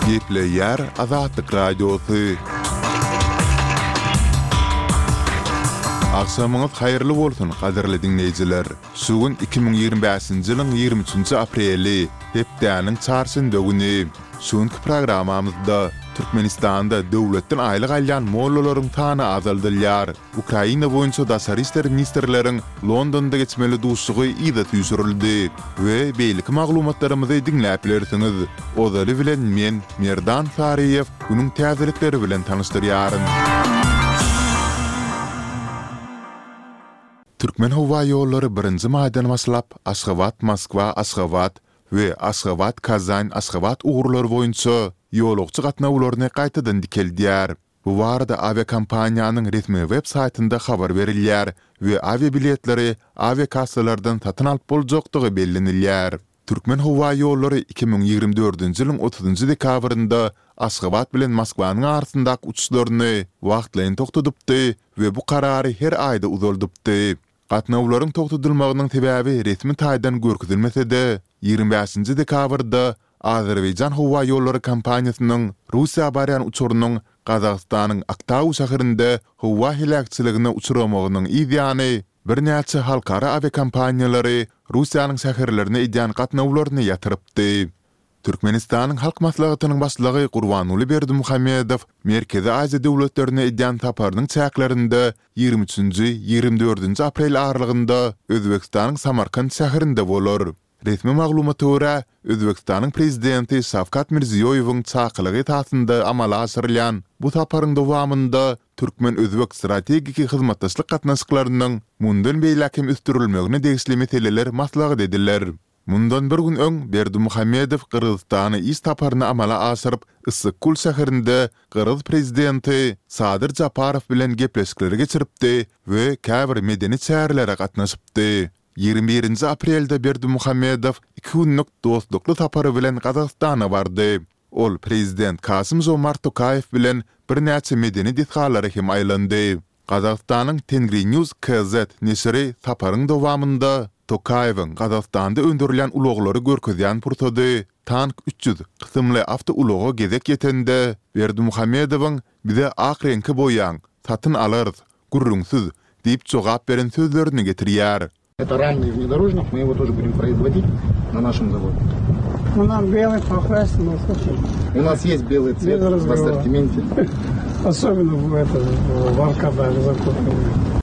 Gepleýär Azatlyk Radiosy. Agşamyňyz haýyrly bolsun, gadyrly diňleýjiler! Şu gün 2025-nji ýylyň 23-nji apreli, hepdäniň çarşenbe güni. Şu günki programmamyzda Türkmenistanda döwletden aýlyk alýan mollalaryň sany azaldylýar. Ukraina boýunça daşary işler ministrleriň Londonda geçmeli duşuşygy yza süýşürildi we beýleki maglumatlarymyzy diňläp bilersiňiz. Ozaly bilen men, Merdan Saryýew, günüň täzelikleri bilen tanyşdyrýaryn. Türkmenhowaýollary birinji maýdan başlap Aşgabat-Moskwa, Aşgabat we Aşgabat-Kazan, Aşgabat ugurlary boýunça ýolagçy gatnawlaryny gaýtadan dikeldýär. Bu barada awiakompaniýanyň resmi web saýtynda habar berilýär we awiabiletleri awiakassalardan satyn alyp boljakdygy bellenilýär. Türkmenhowaýollary 2024-nji ýylyň otuzynjy dekabrynda Aşgabat bilen Moskwanyň arasyndaky uçuşlaryny wagtlaýyn togtadypdy we bu karary her aýda uzaldypdy. Gatnawlaryň togtadylmagynyň sebäbi resmi taýdan görkezilmese-de, 25-nji dekabrda Azerbaýjan howaýollary kompaniýasynyň Russiýa barýan uçarynyň Gazagystanyň Aktau şäherinde howa heläkçiligine uçramagynyň yz ýany, birnäçe halkara awiakompaniýalary Russiýanyň şäherlerine edýän gatnawlaryny ýatyrypdy. Türkmenistanyň Halk Maslahatynyň Başlygy Gurbanguly Berdimuhamedow Merkezi Aziýa döwletlerine edýän saparynyň çäklerinde 23-nji, 24-nji aprel aralygynda Özbegistanyň Samarkant şäherinde bolar. Resmi maglumata görä, Özbegistanyň Prezidenti Şawkat Mirziýoýewiň çakylygy esasynda amala aşyrylýan bu saparyň dowamynda türkmen-özbek strategik hyzmatdaşlyk gatnaşyklarynyň mundan beýläk hem ösdürilmegine degişli meseleler maslahat ediler. Mundan bir gün öň Berdimuhamedow Gyrgyzystana iş saparyny amala aşyryp, Yssyk-Kul şäherinde gyrgyz prezidenti Sadyr Japarow bilen gepleşikleri geçiripdi we käbir medeni çärelere gatnaşypdy. 21-nji aprelde Berdimuhamedow iki günlük dostlukly sapary bilen Gazagystana bardy. Ol prezident Kasym-Žomart Tokaýew bilen birnäçe medeni desgalara hem aýlandy. Gazagystanyň Tengrinews KZ neşiri saparyň dowamynda Tokaýewiň Gazagystanda öndürilýän ulaglary görkezýän pursady Tank 300 kysymly awtoulaga gezek ýetende, Berdimuhamedowyň Bize ak reňke boýaň, satyn alarys, gürrüňsiz diýip jogap beren sözlerini getirýär. Это рамный внедорожник, мы его тоже будем производить на нашем заводе. Ну, нам белый покрасим, ну, слушай. У нас есть белый цвет в ассортименте. Особенно в этом, в Аркадаже закупили.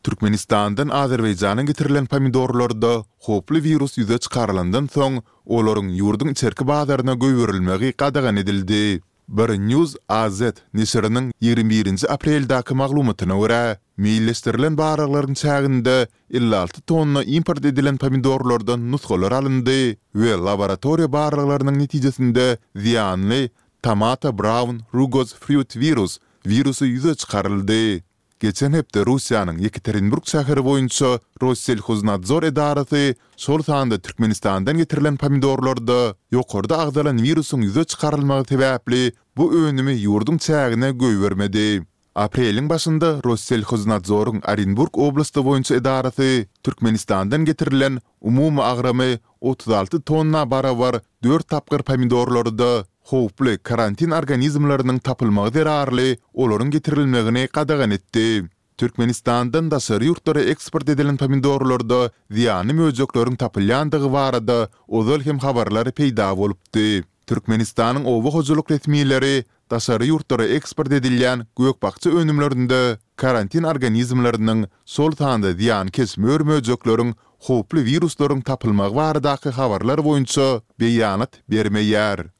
Türkmenistandan Azerbaýjana getirilen pomidorlarda howply wirus ýüze çykarylandan soň, olaryň ýurduň içerki bazaryna goýberilmegi gadagan edildi. Bir News AZ neşiriniň 21-nji apreldäki maglumatyna görä, meýilleşdirilen barlaglaryň çäginde 56 tonna import edilen pomidorlardan nusgalar alyndy we laboratoriýa barlaglarynyň netijesinde zyýanly Tomato Brown Rugose Fruit Virus wirusy ýüze çykaryldy. Geçen hepde Russiýanyň Ýekaterinburg şäheri boýunça Rosselhoznadzor edarasy şol sanda Türkmenistandan getirilen pomidorlarda ýokarda agzalan wirusyň ýüze çykarylmagy sebäpli bu önümi ýurduň çägine goýbermedi. Apreliň başynda Rosselhoznadzoryň Orenburg oblasty boýunça edarasy Türkmenistandan getirilen umumy agramy 36 tonna barabar dört tapgyr pomidorlarda howply karantin organizmleriniň tapylmagy zerarly olaryň getirilmegini gadagan etdi. Türkmenistandan daşary ýurtlara eksport edilen pomidorlarda zyýanly möjekleriň tapylýandygy barada ozal hem habarlar peýda bolupdy. Türkmenistanyň oba hojalyk resmileri daşary ýurtlara eksport edilýän gök-bakja önümlerinde karantin organizmleriniň, şol sanda zyýankeş mör-möjekleriň howply wiruslaryň tapylmagy baradaky habarlar boýunça beýanat bermeýär.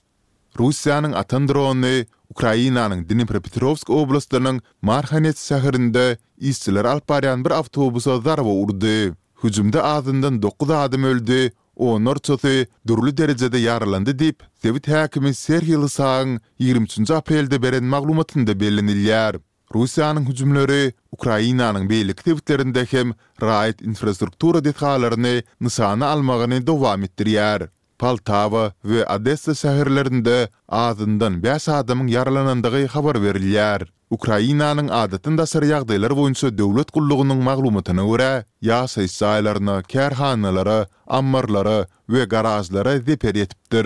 Russiýanyň atan drony Ukrainanyň Dnipropetrowsk oblastynyň Marhanets şäherinde işçileri alyp barýan bir awtobusa zarba urdy. Hüjümde azyndan dokuz adam öldi, onlarçasy dürli derejede ýaralandy diýip, sebit häkimi Serhiý Lysagyň 23 aprelde beren maglumatynda bellenilýär. Russiýanyň hüjümleri Ukrainanyň beýleki sebitlerinde hem raýat infrastruktura desgalaryny nyşana almagyny dowam etdirýär. Poltawa we Odessa şäherlerinde azyndan bäş adamyň ýaralanandygy habar berilýär. Ukrainanyň Adatdan daşary ýagdaýlar boýunça döwlet gullugynyň maglumatyna görä, ýaşaýyş jaýlaryna, kärhanalara, ammarlara we garažlara zeper ýetipdir.